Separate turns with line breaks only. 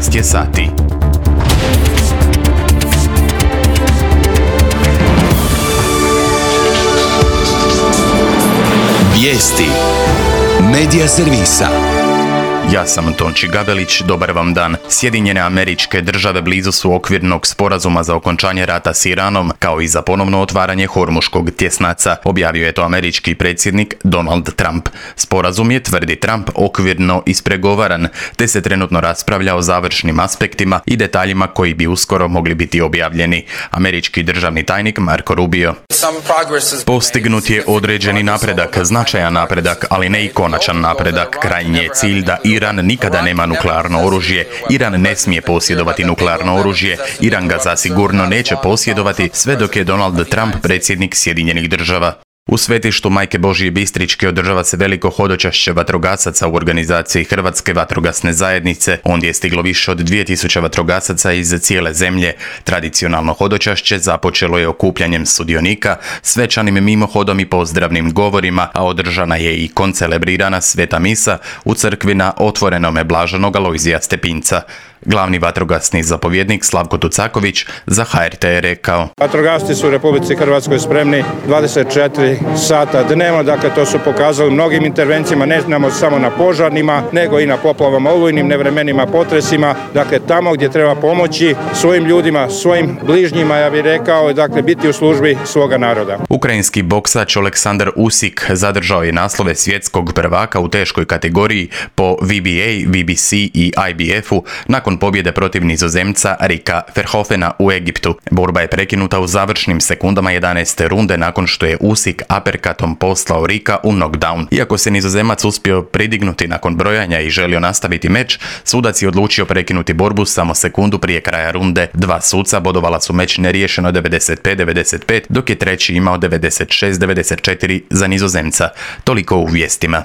11 je sati.
Vijesti Medija servisa.
Ja sam Tonči Gabelić, dobar vam dan. Sjedinjene Američke Države blizu su okvirnog sporazuma za okončanje rata s Iranom, kao i za ponovno otvaranje Hormuškog tjesnaca, objavio je to američki predsjednik Donald Trump. Sporazum je, tvrdi Trump, okvirno ispregovaran, te se trenutno raspravlja o završnim aspektima i detaljima koji bi uskoro mogli biti objavljeni. Američki državni tajnik Marco Rubio: postignut je određeni napredak, značajan napredak, ali ne i konačan napredak. Krajnji je cilj da Iran nikada nema nuklearno oružje. Iran ne smije posjedovati nuklearno oružje. Iran ga zasigurno neće posjedovati sve dok je Donald Trump predsjednik Sjedinjenih Država. U svetištu Majke Božje Bistričke održava se veliko hodočašće vatrogasaca u organizaciji Hrvatske vatrogasne zajednice. Ondje je stiglo više od 2000 vatrogasaca iz cijele zemlje. Tradicionalno hodočašće započelo je okupljanjem sudionika, svečanim mimohodom i pozdravnim govorima, a održana je i koncelebrirana sveta misa u crkvi na otvorenome Blaženog Alojzija Stepinca. Glavni vatrogasni zapovjednik Slavko Tucaković za HRT je rekao:
vatrogasci su u Republici Hrvatskoj spremni 24 sata dnevno, dakle to su pokazali mnogim intervencijama, ne znamo samo na požarnima, nego i na poplavama, olujnim nevremenima, potresima, dakle tamo gdje treba pomoći svojim ljudima, svojim bližnjima, ja bih rekao, dakle biti u službi svoga naroda.
Ukrajinski boksač Oleksandar Usik zadržao je naslove svjetskog prvaka u teškoj kategoriji po WBA, WBC i IBF-u nakon pobjede protiv Nizozemca Rika Verhoevena u Egiptu. Borba je prekinuta u završnim sekundama 11. runde nakon što je Usik aperkatom poslao Rika u knockdown. Iako se Nizozemac uspio pridignuti nakon brojanja i želio nastaviti meč, sudac je odlučio prekinuti borbu samo sekundu prije kraja runde. Dva suca bodovala su meč neriješeno 95-95, dok je treći imao 96-94 za Nizozemca. Toliko u vijestima.